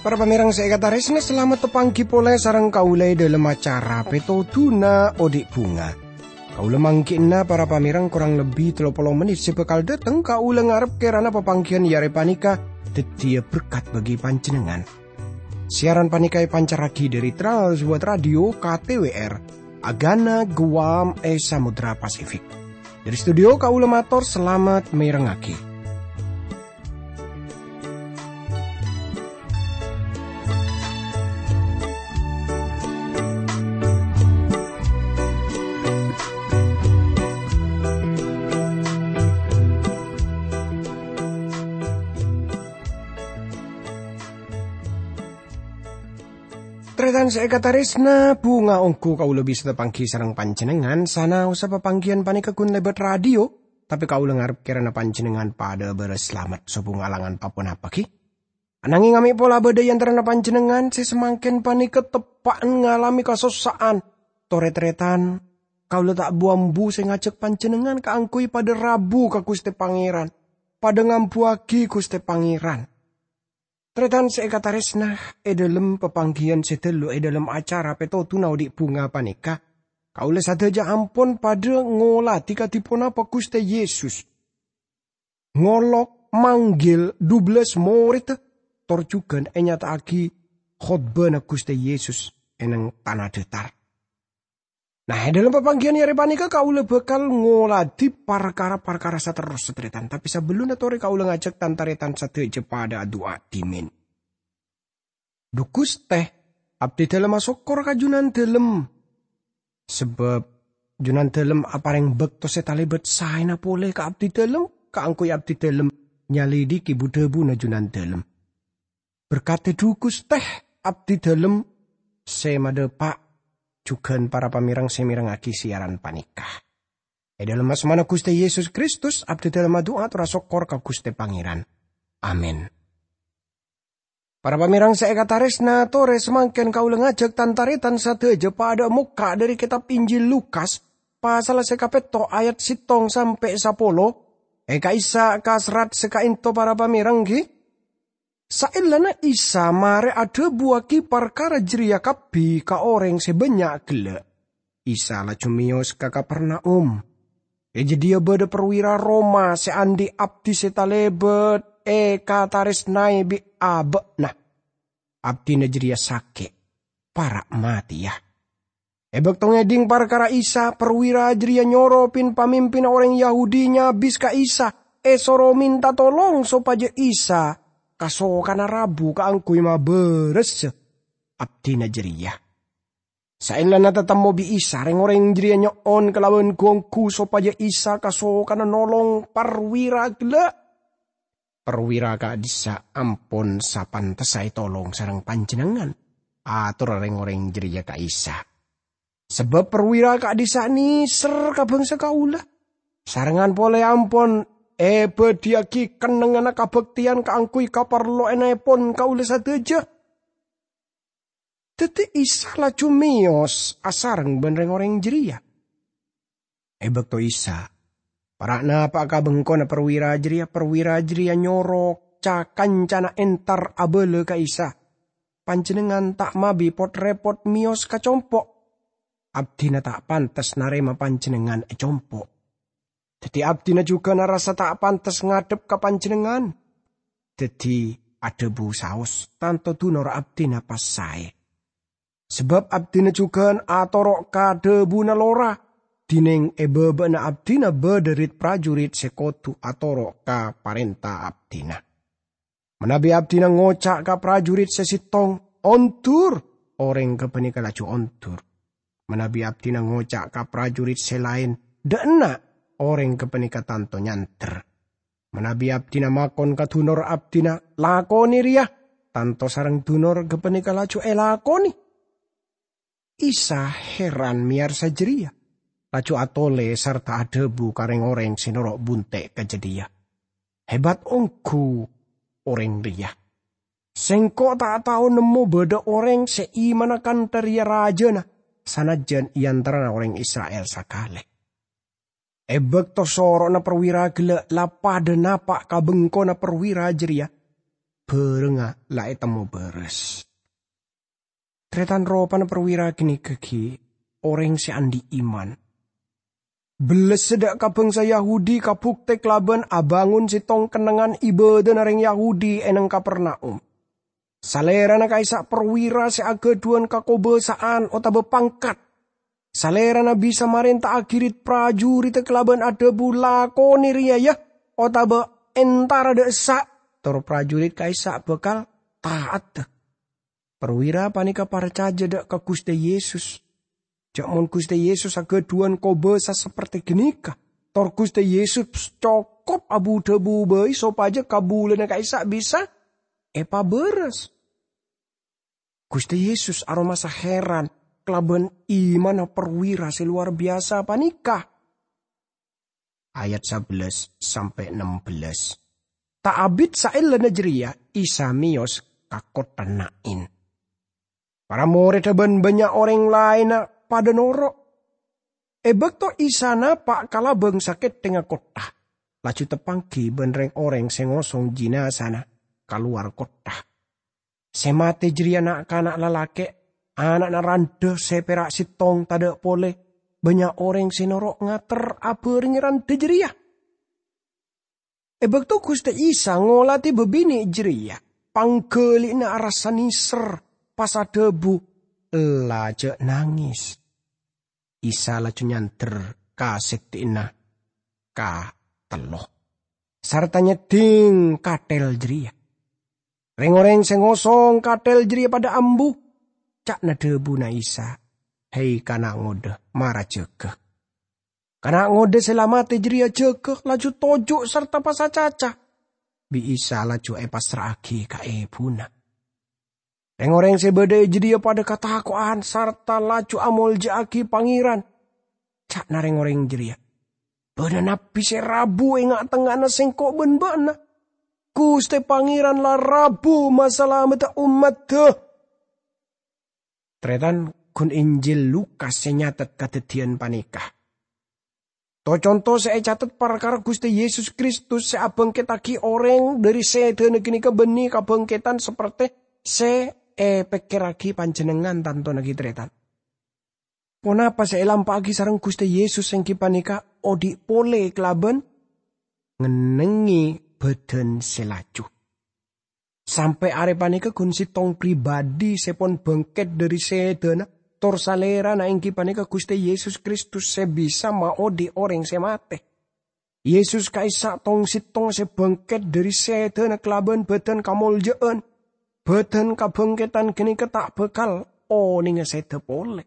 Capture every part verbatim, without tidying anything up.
Para pamèrèng sè èkatarèsnaè, salamet tapangghi polè sareng kaulâ è dhâlem acara Pètodhuna Odi' Bhunga. Kaulâ mangghi'na para pamèrèng korang lebbi tello polo mennit sè bhâkal dhâteng, kaulâ ngarep kèrana papangghiyân è arè panèka dhâddhiyâ berkat bagi panjhennengngan. Siaran panèka èpancarraghi dhâri Trans World Radio K T W R, Agana Guam è Samudra Pasifik. Dhâri studio kaulâ mator salamet mèrengngaghi. Tarètan sè èkatarèsna, bhunga ongghu kaulâ bisa tapangghi sareng panjhennengngan, sanaossa papangghiyân panèka ghun lèbât radio, tapè kaulâ ngarep kèrana panjhennengngan padâ bârâs salamet sobhunga langan pa-ponapa ghi. Ananging amè' pola bâdâ è antarana panjhennengngan sè samangkèn panèka teppa'na ngalamè kasossa'an. Torè-tarètan, kaulâ ta' bu-ambu sè ngajhâk panjhennengngan kaangghuy padâ rabu ka Ghustè Pangèran, padâ ngambuwâghi Ghustè Pangèran. Tarètan sè èkatarèsna, è dhâlem papangghiyân sè dâllu è dhâlem acara Pètodhuna Odi' Bhunga panèka, kaulâ sadhâjâ ampon padâ ngoladhi kadhi ponapa Ghustè Yesus ngolok, manggil dubellâs morèdda, tor jhughân ènyata'aghi khotbâna Ghustè Yesus è neng tana dhâtar. Nah, è dhâlem papangghiyân è arè panèka kaulâ bhâkal ngoladhi parkara-parkara saterrossa, tarètan. Tapè sabellunna torè kaulâ ngajhâk tan-tarètan sadhâjâ padâ adu'a dhimèn. Dhu Ghustè, abdhidhâlem asokkor ka Jhunandhâlem. Sabâb Jhunandhâlem aparèng bâkto sè talèbât saèna polè ka abdhidhâlem, kaangghuy abdhidhâlem nyalèdhighi bu-dhâbuna Jhunandhâlem. Berkadhi dhu Ghustè, abdhidhâlem sè madhâpa', jhughân para pamèrèng sè mèrengngaghi siaran panèka. È dhâlem asmana Ghustè Yesus Kristus, abdhidhâlem adu'a tor asokkor ka Ghustè Pangèran. Amin. Para pamèrèng sè èkatarèsna, torè samangkèn kaulâ ngajhâk tan-tarètan sadhâjâ padâ mokka' dhâri kètab Injil Lukas, pasal sè kapètto' ayat sèttong sampè' sapolo, è ka'issa' ka serrat sè ka'ènto para pamèrèng ghi. Saellana Isa marè adhâbuwâghi parkara jârèya kabbhi ka orèng sè bânnya' ghellâ', Isa laju mèyos ka Kapernaum. È jâdiyâ bâdâ perwira Roma sè andi' abdi sè talèbât èkatarèsnaè bi' abâ'na. Abdina jârèya sakè', para' matèya. È bâkto ngèdhing parkara Isa, perwira jârèya nyoro pin-pamimpinna orèng Yahudi nyabis ka Isa, èsoro mènta tolong sopajâ Isa kasokana rabu kaangghuy mabârâssa abdina jârèya. Saellana tatemmo bi' Isa, rèng-orèng jârèya nyo'on kalabân ghu-ongghu sopajâ Isa kasokana nolong perwira ghellâ'. Perwira ka'dhissa' ampon sapantessa ètolong sareng panjhennengngan, atorra rèng-orèng jârèya ka Isa. Sabâb perwira ka'dhissa' nèser ka bhângsa kaulâ, sarengngan polè ampon èbâdhiyâghi kennengnganna kabhâktèyan kaangghuy kaparlowanèpon kaulâ sadhâjâ. Dhâddhi Isa laju mèyos asareng bân rèng-orèng jârèya. È bâkto Isa para' napa'a ka bengkona perwira jârèya, perwira jârèya nyoro ca-kancana entar abâlâ ka Isa, "Panjhennengngan ta' mabi pot-rèpot mèyos ka compo'. Abdina ta' pantes narèma panjhennengngan è compo'. Dhâddhi abdina jhughân arassa ta' pantes ngadhep ka panjhennengngan." Dhâddhi adhâbu saos, "Tanto dunor abdina pas saè. Sabâb abdina jhughân atoro' ka dhâbuna lora, dinèng è bâbâna abdina bâdâ rit-parjurit sè kodhu atoro' ka parènta abdina. Manabi abdina ngoca' ka parjurit sè sèttong, 'Ondur!' orèng ghâpanèka laju ondur. Manabi abdina ngoca' ka parjurit sè laèn, 'Dhâ' enna'!' orèng ghâpanèka tanto nyander. Manabi abdina makon ka dunor abdina, 'Lakonè rèya!' tanto sareng dunor ghâpanèka laju èlakonè." Isa heran mèyarsa jârèya, laju atolè sarta adhâbu ka rèng-orèng sè noro' bunte' ka jâdiyâ, "Hebat ongghu orèng rèya!" Sengko' ta' tao nemmo badha oreng se imana kantha reya rajana, sanajjan e antarana oreng Isra'il sakalè. E bakto soro'na parwira gella' la padha napa' ka bengkona parwira jareya, barengnga la etemmo baras. Taretan, ropana parwira ganeka gi' oreng se andhi' iman. Bellessa dha' ka bangsa Yahudi kabukte kalaban abangon settong kennengngan ibadana reng Yahudi e neng Kapernaum. Salerana ka'issa' parwira se agadhuwan kakobasa'an otaba pangkat. Salerana bisa marenta'agi rit-prajuritta kalaban adhabu, "Lakone reya, ya," otaba "Entara dha' essa'," tor prajurit ka'issa' bakal ta'atta. Parwira paneka parcaja dha' ka Guste Yesus. Ja' mon Guste Yesus agadhuwan kobasa saperte ganeka, tor Guste Yesus cokop abu-dhabu bai sopaja kabulana ka'issa' bisa epabaras. Guste Yesus aromasa heran kalaban imanna parwira se lowar biyasa paneka. Ayat sabellâs sampe' nembellâs. Ta' abit saellana jareya Isa meyos ka kottha Nain. Para moredda ban bannya' oreng laenna padha noro'. E bakto Isa napa' ka labang sakethengnga kottha, laju tapanggi ban reng-oreng se ngosong jinazana ka lowar kottha. Se mate jareya na'-kana' lalake', ana'na randha se pera' settong tadha' pole. Bannya' oreng se noro' ngater abarengnge randha jareya. E bakto Guste Isa ngolade babine' jareya, panggali'na arassa neser, pas adhabu, "Ella, ja' nangis." Isa laju nyander ka seddi'na katello, sarta nyedding kathel jareya. Reng-oreng se ngosong kathel jareya padha ambu. Ca'na dhabuna Isa, "Hai kana' ngodha, mara jaga." Kana' ngodha se la mate jareya jaga, laju toju' sarta pas acaca. Bi' Isa laju epassra'agi ka ebuna. Reng-oreng se badha e jadhiya padha katako'an sarta laju amolja'agi Pangeran. Ca'na reng-oreng jareya, "Badha nabbi se rabu e nga'-tengnga'anna sengko' ban ba'na. Guste Pangeran la rabu masalamedda ommadda." Taretan, gun Injil Lukas se nyatet kadaddiyan paneka. To-conto se ecatet parkara Guste Yesus Kristus se abangkettagi oreng dhari sedana ganeka banne kabangketan saperte se epekkerragi panjennengngan, tantona gi' taretan. Ponapa se elampa'agi sareng Guste Yesus enggi paneka odhi' pole kalaban ngennengnge badan se laju. Sampe' are paneka gun settong pribadi se pon bangket dhari sedana, tor Salerana enggi paneka Guste Yesus Kristus se bisa maodhi' oreng se mate. Yesus ka'issa' tong-settong se bangket dhari sedana kalaban badan kamolja'an. Badan kabangketan ganeka ta' bakal onenga seda pole.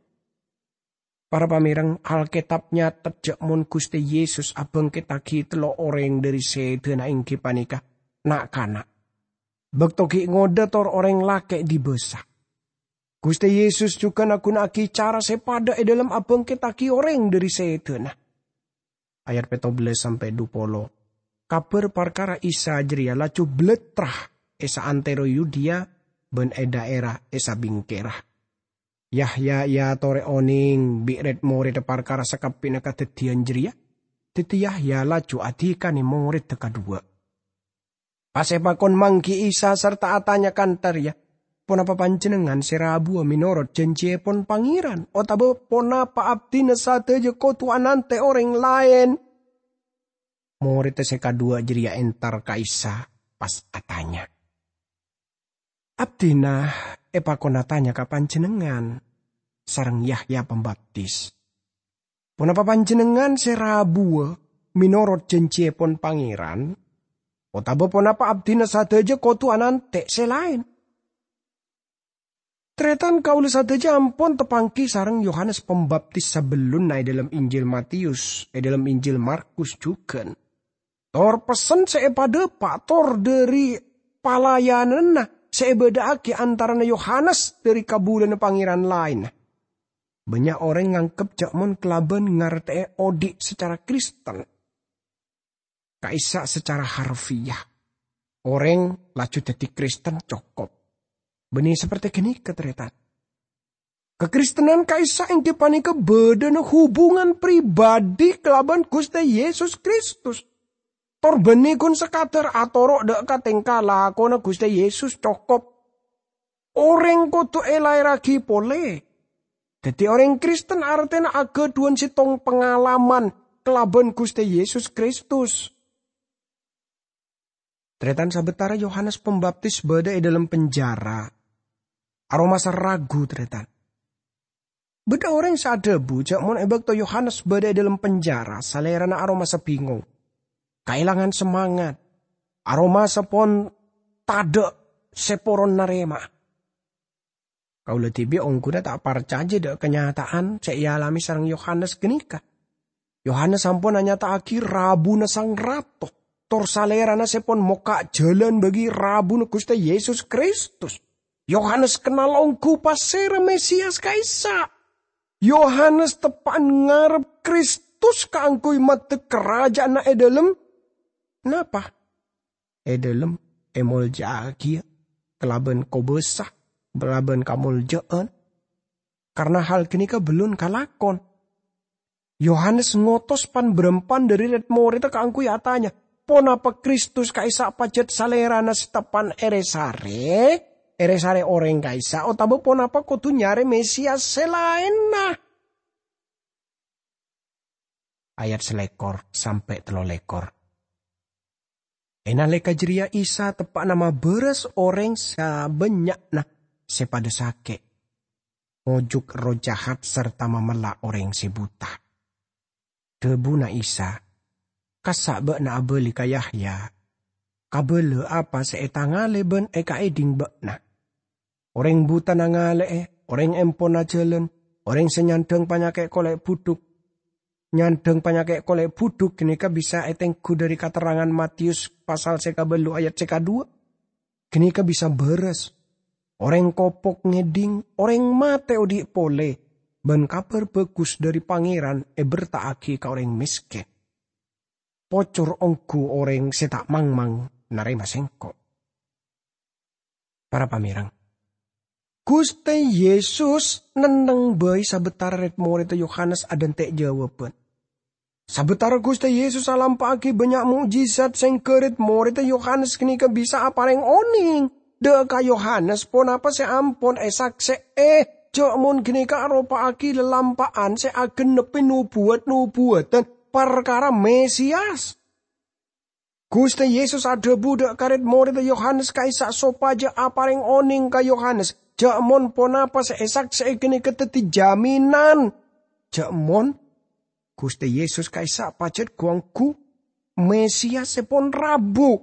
Para pamereng, Alketab nyatet ja' mon Guste Yesus abangkettagi tello' oreng dhari sedana enggi paneka na'-kana'. Bakto gi' ngodha tor oreng lake' dibasa. Guste Yesus jugan aguna'agi cara se padha e dhalem abangkettagi oreng dhari sedana. Ayat petto bellas sampe' dhu polo. Kabar parkara Isa jareya laju blattra e saantero Yudea ban e dhaera e sabingkera. Yahya eatore oneng bi' red-moredda parkara sakabbi'na kadaddiyan jareya, daddi Yahya laju adikane moredda kadhuwa. Pas epakon manggi Isa sarta atanya kantha reya, "Ponapa panjennengngan se rabuwa menorot janjiyepon Pangeran, otaba ponapa abdina sadaja kodu anante' oreng laen?" Moredda se kadhuwa jareya entar ka Isa, pas atanya, "Abdina epakon atanya ka Panjennengngan sareng Yahya Pambaptis. Ponapa Panjennengngan se rabuwa menorot janjiyepon Pangeran, otaba ponapa abdina sadaja kodu anante' se laen?" Taretan, kaula sadaja ampon tapanggi sareng Yohanes Pambaptis sabellunna e dhalem Injil Matius, e dhalem Injil Markus jugan. Tor pessen se epadhapa' tor dhari palayananna se ebadha'agi antarana Yohanes dhari kabulana Pangeran laenna. Bannya' oreng nganggep ja' mon kalaban ngarte'e odhi' sacara Kristen, ka'issa' sacara harfiah, oreng laju daddi Kristen cokop. Bânnè saperte ghânèka, tarètan. Kakristenan ka'issa' èngghi panèka bâdâna hubungan pribadi kalabân Ghustè Yesus Kristus. Tor bânnè ghun sakadhâr atoro' dâ' ka tèngka lakona Ghustè Yesus cokop. Orèng kodhu èlaèrraghi polè. Dhâddhi orèng Kristen artèna aghâdhuwân sèttong pangalaman kalabân Ghustè Yesus Kristus. Tarètan, sabâtara Yohanes Pembaptis bâdâ è dâlem penjara, aromasa ragu, tarètan. Bâdâ orèng sè adhâbu jâ' mon è bâkto Yohanes bâdâ è dâlem penjara, salèrana aromasa bingong, kaèlangan semangat, aromasa pon tadâ' sè poron narèma'a. Kaulâ dhibi' ongghuna ta' parcajâ dâ' kanyata'an sè èalamè sareng Yohanes ghânèka. Yohanes ampon anyata'aghi rabuna Sang Rato, tor Salèrana sè pon mokka' jhâlân bâgi rabuna Ghustè Yesus Kristus. Yohanes kennal ongghu pasèra Mesias ka'issa'. Yohanes teppa'na ngarep Kristus kaangghuy maddek karaja'anna è dâlem. Napa? È dâlem èmoljâ'aghiyâ kalabân kobâsa, kalabân kamoljâ'ân. Karna hal ghânèka bellun kalakon. Yohanes ngotos pan-bârâmpan dhâri rèd-morèdda kaangghuy atanya, "Ponapa Kristus ka'issa' pajhât Salèrana sè teppa'na èrè-sarè? Èrè-sarè orèng ka'issa' otabâ ponapa kodhu nyarè Mesias sè laènna?" Ayat salèkor sampè' tello lèkor. È nalèka jârèya Isa teppa'na mabârâs orèng sabânnya'na sè padâ sakè', ngojuk erroh jahat sarta mamella' orèng sè buta. Dhâbuna Isa, "Kassa' bâ'na abâli ka Yahya, kabâlâ apa sè ètangalè bân èkaèdhing bâ'na. Orèng buta nangalè'è, orèng empon ajhâlân, orèng sè nyandhâng panyakè' kolè' budhuk." Nyandhâng panyakè' kolè' budhuk ghânèka bisa ètengghu dhâri katerrangan Matius pasal sè kabâllu ayat sè kadhuwâ. Ghânèka bisa bârâs. Orèng kopok ngèdhing, orèng matè odi' polè, bân Kabhâr Bhâghus dhâri Pangèran èberta'aghi ka orèng mèskèn. Pocor ongghu orèng sè ta' mangmang narèma Sèngko'. Para pamèreng, Ghustè Yesus nenneng bhâi sabâtara rèd-morèdda Yohanes adhânte' jâwâbhân. Sabâtara Ghustè Yesus alampa'aghi bânnya' mo'jizat sèngghâ rèd-morèdda Yohanes ghânèka bisa aparèng onèng dâ' ka Yohanes ponapa sè ampon èsaksè'è, jâ' mon ghânèka aropa'aghi lalampa'an sè aghânebbhi nobuwât-nobuwâdhân parkara Mesias. Ghustè Yesus adhâbu dâ' ka rèd-morèdda Yohanes ka'issa' sopajâ aparèng onèng ka Yohanes, jâ' mon ponapa sè èsaksè'è ghânèka dhâddhi jaminan. Jâ' mon Ghustè Yesus ka'issa' pajhât gu-ongghu Mesias sè pon rabu.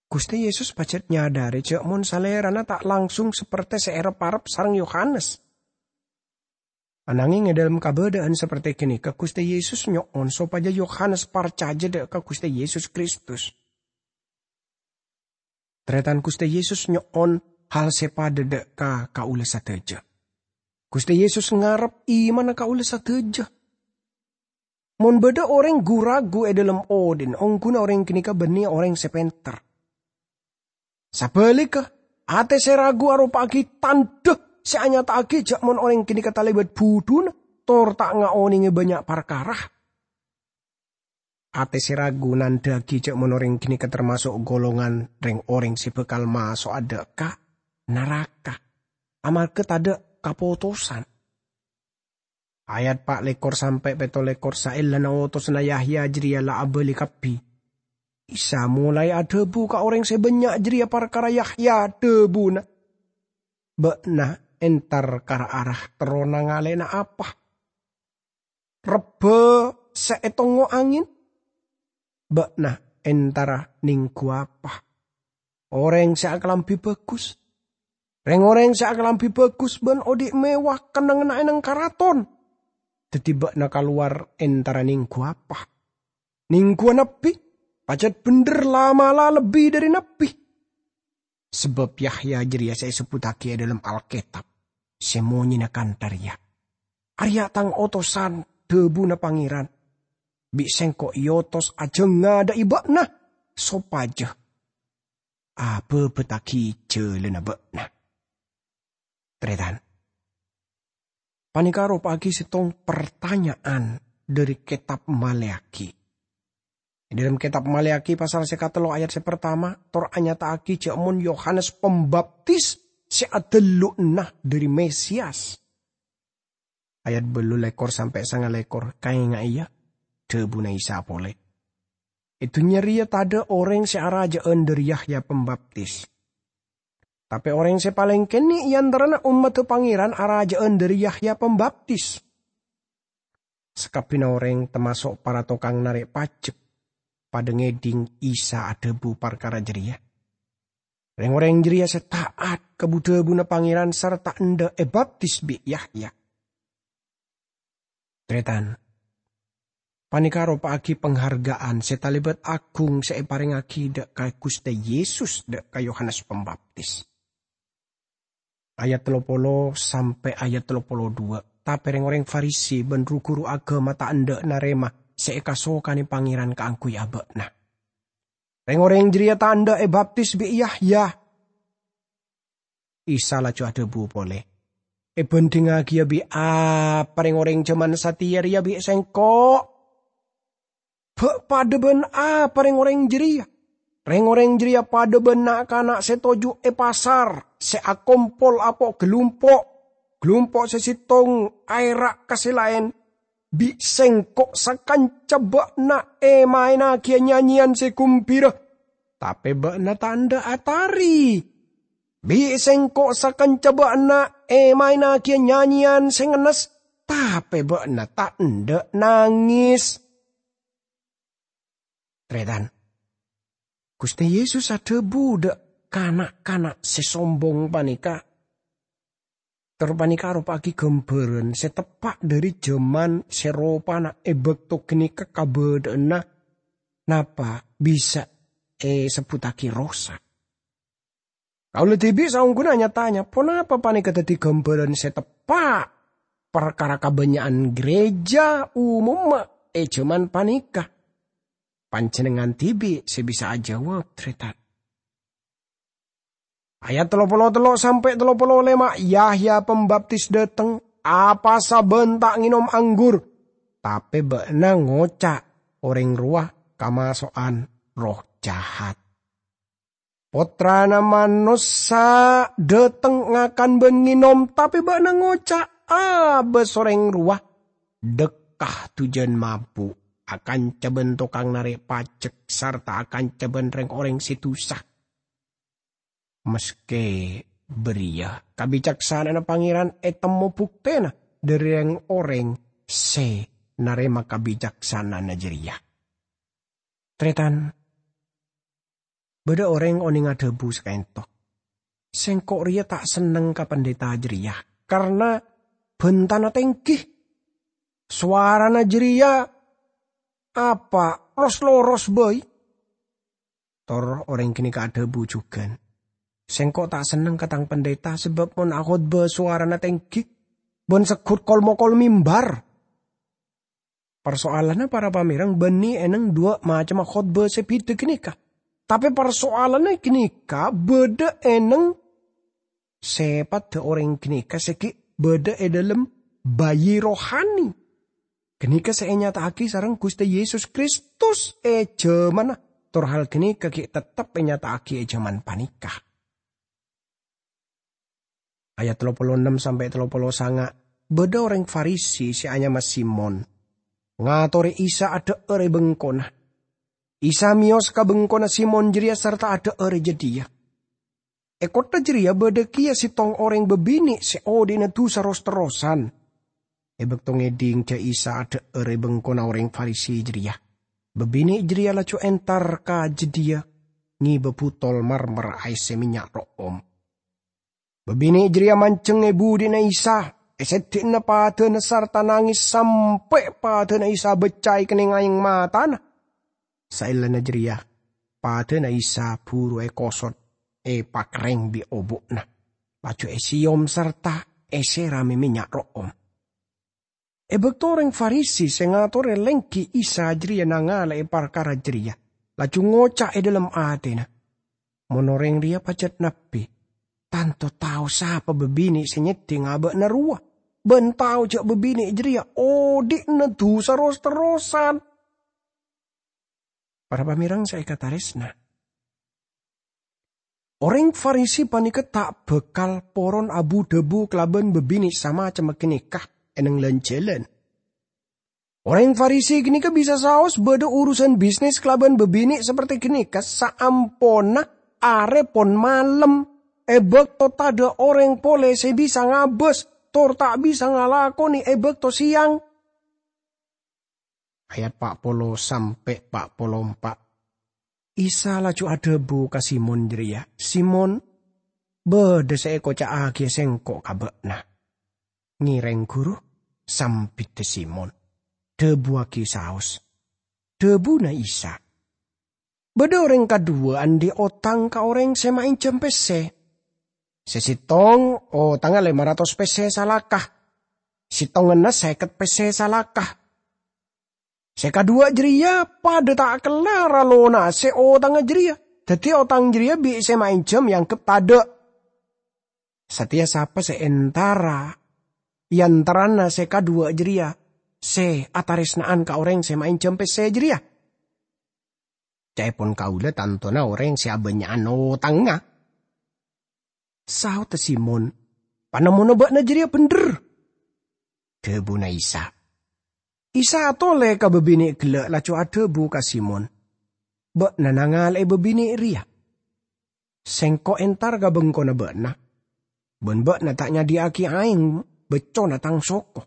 Ghustè Yesus pajhât nyadhâri jâ' mon Salèrana ta' langsung saperte sè èrep-arep sareng Yohanes. Anangèng è dhâlem kabâdâ'ân saperte ghânèka, Ghustè Yesus nyo'on sopajâ Yohanes parcajâ dâ' ka Ghustè Yesus Kristus. Tarètan, Ghustè Yesus nyo'on hal sè padâ dâ' ka kaulâ sadhâjâ. Ghustè Yesus ngarep imanna kaulâ sadhâjâ. Mon bâdâ orèng gu-ragu è dhâlem odhi'na, ongghuna orèng ghânèka bânnè orèng sè pènter. Sabhâligghâ, atè sè ragu aropa'aghi tandhâ sè anyata'aghi jâ' mon orèng ghânèka talèbât budhuna, tor ta' ngaonèngè bânnya' parkara. Atè sè ragu nandhâ'aghi jâ' mon orèng ghânèka tamaso' golongan rèng-orèng sè bhâkal maso'a dâ' ka naraka, amarghâ tadâ' kapotosan. Ayat pa' lèkor sampè' pètto lèkor, saellana otosanna Yahya jârèya la abâli kabbhi, Isa molaè adhâbu ka orèng sè bânnya' jârèya parkara Yahya, dhâbuna, "Bâ'na entar ka ra-ara terro nangalè'ana apa? Rebbhâ sè ètongngo angèn? Bâ'na entara nèngghu apa? Orèng sè akalambhi bhâghus? Rèng-orèng sè akalambhi bhâghus bân odhi' mèwah kennengnganna è nèng karaton. Dhâddhi bâ'na kalowar entara nèngghu apa? Nèngghuwâ nabbhi? Pajhât bhendher la'-mala' lebbi dhâri nabbhi. Sabâb Yahya jârèya sè èsebbhuttaghi è dhâlem Alkètab sè monyèna kantha rèya, 'Arèya' tang otosan,' dhâbuna Pangèran, 'bi' sèngko' èotos ajhâ' ngadâ'â bâ'na, sopajâ abhâbhâttaghi jhâlânna bâ'na. Tarètan. Panèka aropa'aghi sèttong partanya'an dhâri Kètab Maleakhi. È dhâlem Kètab Maleakhi pasal sè katello ayat sè partama, tor anyata'aghi jhâ' mon Yohanes Pembaptis sè adhâllu'na dhâri Mesias. Ayat bâllu lèkor sampè' sanga lèkor, kaènga'è, yâ, dhâbuna Isa polè, "È dhunnya rèya tadhâ' orèng sè arajâ'ân dhâri Yahya Pembaptis. Tapè orèng sè palèng kènè' è antarana ommaddhâ Pangèran arajâ'ân dhâri Yahya Pembaptis." Sakabbhiyânna orèng, tamaso' para tokang narè' pajek, padâ ngèdhing Isa adhâbu parkara jârèya. Rèng-orèng jârèya sè ta'at ka bu-dhâbuna Pangèran sarta endâ' èbaptis bi' Yahya. Tarètan, panèka aropa'aghi pangharghâ'ân sè talèbât aghung sè èparèngaghi dhâ' ka Ghustè Yesus dhâ' ka Yohanes Pembaptis. Ayat tello polo sampè' ayat tello polo duwâ', tapè rèng-orèng Farisi bân ru-ghuru aghâma ta' endâ' narèma sè èkasokanè Pangèran kaangghuy abâ'na. Rèng-orèng jârèya ta' endâ' èbaptis bi' Yahya. Isa laju adhâbu polè, "Èbhândhingngaghi, yâ, bi' apa rèng-orèng jhâman satèya rèya bi' Sèngko'? Bâ' padâ bân apa rèng-orèng jârèya? Rèng-orèng jârèya padâ bân na'-kana' sè toju' è pasar, sè akompol apo' galumpo', galumpo' sè sèttong aèra' ka sè laèn. Bi' Sèngko' sakanca bâ'na èmaènnaghiyâ nyanyèyan sè ghumbhira, tapè bâ'na ta' endâ' atarè. Bi' Sèngko' sakanca bâ'na èmaènnaghiyâ nyanyèyan sè ngennes, tapè bâ'na ta' endâ' nangès." Tarètan, Ghustè Yesus adhâbu dhâ' kana'-kana' sè sombong panèka, tor panèka aropa'aghi ghâmbhârân sè teppa' dhâri jhâman sè ropana è bâkto ghânèka kabâdâ'ânna napa bisa èsebbhuttaghi rosa. Kaulâ dhibi' saongghuna nya-tanya, ponapa panèka dhâddhi ghâmbhârân sè teppa' parkara kabânnya'an ghârèjâ umumma è jhâman panèka? Panjhennengngan dhibi' sè bisa ajâwâb, tarètan. Ayat tello polo tello' sampè' tello polo lèma', "Yahya Pembaptis dâteng, apasa bân ta' ngènom anggur, tapè bâ'na ngoca' orèng rowa kamaso'an erroh jahat. Pottrana Manossa dâteng ngakan bân ngènom, tapè bâ'na ngoca', 'Abâs orèng rowa, dhâkka' dujân mabu', akanca bân tokang narè' pajek sarta akanca bân rèng-orèng sè dusa.' Maskè bâriyâ, kabicaksana'anna Pangèran ètemmo buktèna dhâri rèng-orèng sè narèma kabicaksana'anna jârèya." Tarètan, bâdâ orèng onèng adhâbu sakaènto, "Sèngko' rèya ta' senneng ka pandhita jârèya, karna bhântana tèngghi. Sowarana jârèya apa, ros-loros bhâi." Tor orèng ghânèka adhâbu jhughân, "Sèngko' ta' senneng ka tang pandhita, sabâb mon akhotbah sowarana tèngghi, bân segghut kol-mokol mimbar." Parsoalanna, para pamèreng, bânnè è nèng duwâ' macemma khotbah sè bhidhâ ghânèka. Tapè parsoalanna ghânèka bâdâ è nèng sèpaddhâ orèng ghânèka sè ghi' bâdâ è dhâlem bayi rohani. Ghânèka sè ènyata'aghi sareng Ghustè Yesus Kristus è jhâmanna, tor hal ghânèka ghi' teptep ènyata'aghi è jhâman panèka. Ayat tello polo ennem sampè' tello polo sanga', bâdâ orèng Farisi sè anyama Simon ngatorè Isa adhâ'âr è bengkona. Isa mèyos ka bengkona Simon jârèya sarta adhâ'âr è jâdiyâ. È kottha jârèya bâdâ kèya sèttong orèng bâbinè' sè odi'na dusa ros-terrosan. È bâkto ngèdhing jhâ' Isa adhâ'âr è bengkona orèng Farisi jârèya, bâbinè' jârèya laju entar ka jâdiyâ ngèbâ butol marmer aèssè mènnya' ro'om. Bâbinè' jârèya manjheng è budi'na Isa, è sèddi'na padâna sarta nangès sampè' padâna Isa bâccaè kennèng aèng matana. Saellana jârèya, padâna Isa buru èkosot, èpakerrèng bi' obu'na, laju èsèyom sarta èsèrami mènnya' ro'om. È bâkto orèng Farisi sè ngatorè lèngghi Isa jârèya nangalè'è parkara jârèya, laju ngoca' è dhâlem atèna, Mon orèng rèya pajhât nabbhi, tanto tao sapa bâbinè' sè nyèddhing abâ'na rowa, bân tao jhâ' bâbinè' jârèya odi'na dhusa ros-terrosan. Para pamèreng sè èkatarèsna, orèng Farisi panèka ta' bhâkal poron abu-dhâbu kalabân bâbinè' samacemma ghânèka è neng lan-jhâlân. Orèng Farisi ghânèka bisa saos bâdâ urusan bisnis kalabân bâbinè' saperte ghânèka saamponna arè pon malem, è bâkto tadâ' orèng polè sè bisa ngabâs, tor ta' bisa ngalakonè è bâkto sèyang. Ayat pa' polo sampè' pa' polo empa'. Isa laju adhâbu ka Simon jârèya, "Simon, bâdâ sè èkoca'aghiyâ Sèngko' ka bâ'na." "Ngèrèng, Ghuru," sambiddhâ Simon, "dhâbuwâghi saos." Dhâbuna Isa, "Bâdâ orèng kadhuwâ andi' otang ka orèng sè maènjhâm pèssè. Sè sèttong otangnga lèma ratos pèssè salaka, sèttongnganna sèket pèssè salaka. Sè kadhuwâ jârèya padâ ta' kellar alonasè otangnga jârèya, dhâddhi otang jârèya bi' sè maènjhâm èangghep tadâ'. Satèya sapa sè entara è antarana sè kadhuwâ jârèya sè atarèsna'an ka orèng sè maènjhâm pèssè jârèya? Ca'èpon kaulâ tantona orèng sè abânnya'an otangnga." Saodhâ Simon, "Panemmona bâ'na jârèya bhendher." Dhâbuna Isa. Isa atolè ka bâbinè' ghellâ' laju adhâbu ka Simon, "Bâ'na nangala'è bâbinè' rèya. Sèngko' entar ka bengkona bâ'na, bân bâ'na ta' nyadhiyâ'aghi aèng beccona tang soko.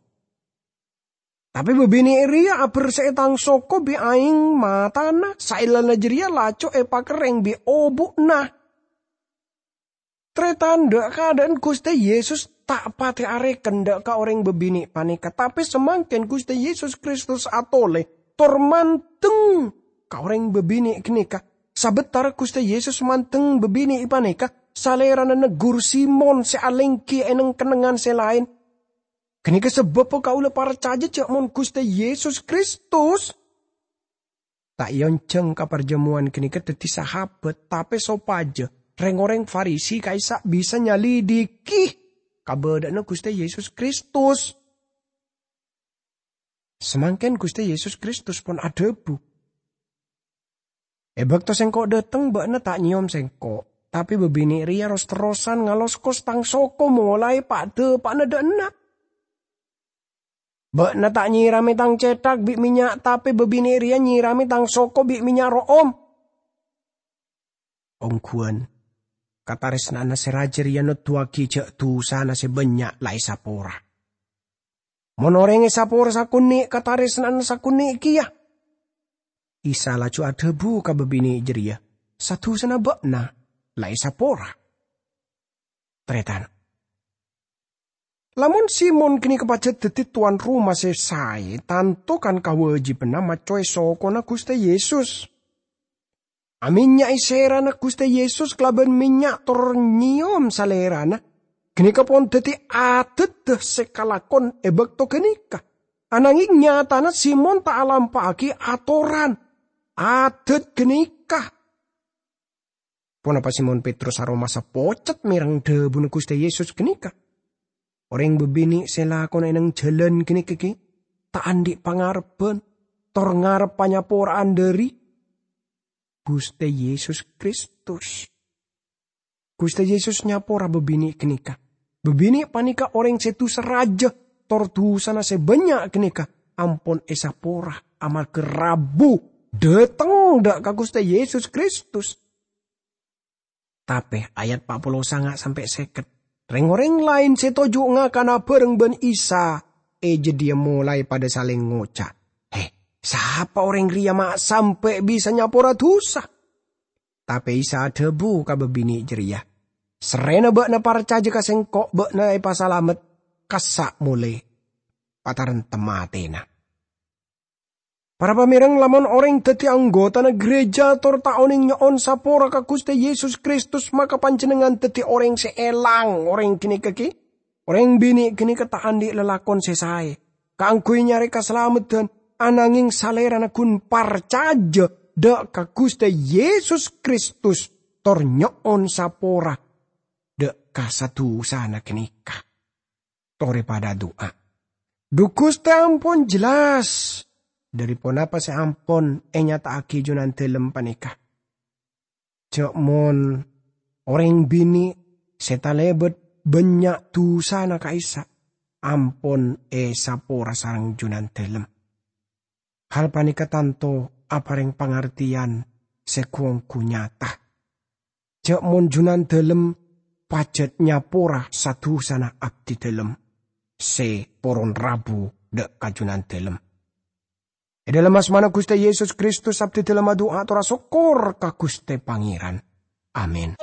Tapè bâbinè' rèya aberse'è tang soko bi' aèng matana, saellana jârèya laju èpakerrèng bi' obu'na." Tarètan, dâ'-kadâ'ân Ghustè Yesus ta' patè arèken dâ' ka orèng bâbinè' panèka, tapè samangkèn Ghustè Yesus Kristus atolè tor mandeng ka orèng bâbinè' ghânèka. Sabâtara Ghustè Yesus mandeng bâbinè' panèka, Salèrana neggur Simon sè alèngghi è neng-kennengngan sè laèn. Ghânèka sabâbbhâ kaulâ parcajâ jâ' mon Ghustè Yesus Kristus ta' èonjhâng ka parjhâmowan ghânèka dhâddhi sahabat, tapè sopajâ rèng-orèng Farisi ka'issa' bisa nyalidiki kabâdâ'ânna Ghustè Yesus Kristus. Samangkèn Ghustè Yesus Kristus pon adhâbu, "È bâkto Sèngko' dâteng, bâ'na ta' nyèyom Sèngko', tapè bâbinè' rèya ros-terrosan ngaloskos tang soko molaè pa'-dâpa'na dâ' enna'. Bâ'na ta' nyèramè tang cèthak bi' mènnya', tapè bâbinè' rèya nyèramè tang soko bi' mènnya' ro'om." Ongghuwân, katarèsna'anna sè rajâ rèya noduwâghi jâ' dhusana sè bânnya' la èsapora. Mon orèng èsapora sakonè' katarèsna'anna sakonè' kèya. Isa laju adhâbu ka bâbinè' jârèya, "Sa-dhusana bâ'na la èsapora." Tarètan, lamon Simon ghânèka pajhât dhâddhi towan roma sè saè, tanto kan kawâjibhânna maccowè sokona Ghustè Yesus. Amènnya'è sèrana Ghustè Yesus kalabân mènnya' tor nyèyom Salèrana, ghânèka pon dhâddhi adhâddhâ sè kalakon è bâkto ghânèka. Ananghing nyatana Simon ta' alampa'aghi atoran adhât ghânèka. Ponapa Simon Petrus aromasa pocet mèreng dhâbuna Ghustè Yesus ghânèka? Orèng bâbinè' sè lakona è neng jhâlân ghânèka ghi' ta' andi' pangarebbhân, tor ngarep panyapora'an dhâri Ghustè Yesus Kristus. Ghustè Yesus nyapora bâbinè' ghânèka. Bâbinè' panèka orèng sè dhusa rajâ, tor dhusana sè bânnya' ghânèka ampon èsapora amarghâ rabu dâteng dâ' ka Ghustè Yesus Kristus. Tapè ayat pa' polo sanga sampè' sèket, rèng-orèng laèn sè toju' ngakana bhâreng bân Isa è jâdiyâ molaè padâ salèng ngoca', "Hè, sapa orèng rèya ma' sampè' bisa nyapora dhusa?" Tapè Isa adhâbu ka bâbinè' jârèya, "Sarrèna bâ'na parcajâ ka Sèngko', bâ'na èpasalamet, kassa' molè, patarènta matèna." Para pamèreng, lamon orèng dhâddhi anggotana ghârèjâ tor ta' onèng nyo'on sapora ka Ghustè Yesus Kristus, maka panjhennengngan dhâddhi orèng sè èlang. Orèng ghânèka ghi', orèng binè' ghânèka ta' andi' lalakon sè saè kaangghuy nyarè kasalameddhân, ananghing salèrana ghun parcajâ dâ' ka Ghustè Yesus Kristus, tor nyo'on sapora dâ' ka sa-dusana ghânèka. Torè padâ adu'a. Dhu Ghustè ampon jelas dhâri ponapa sè ampon ènyata'aghi Junandâlem panèka. Jhâ' mon orèng binè' sè talèbât bânnya' dusana ka'issa' ampon èsapora sareng Junandâlem. Hal panèka tanto aparèng pangartèyan sè ghu-ongghu nyata. Jhâ' mon Junandâlem pajhât nyapora sa-dusana abdidâlem sè poron rabu dâ' ka Junandâlem. È dhâlem asmana Ghustè Yesus Kristus, abdidâlem adu'a ator asokkor ka Ghustè Pangèran. Amin.